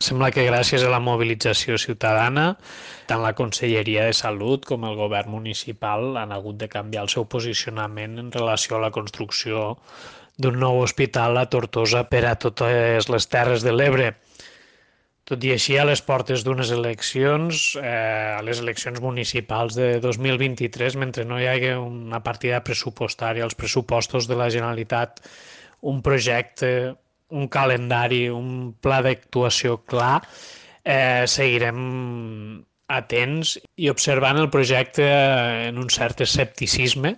Sembla que gràcies a la mobilització ciutadana, tant la Conselleria de Salut com el govern municipal han hagut de canviar el seu posicionament en relació a la construcció d'un nou hospital a Tortosa per a totes les Terres de l'Ebre. Tot i així, a les portes d'unes eleccions, a les eleccions municipals de 2023, mentre no hi hagi una partida pressupostària als pressupostos de la Generalitat, un projecte, un calendari, un pla d'actuació clar, seguirem atents i observant el projecte en un cert escepticisme,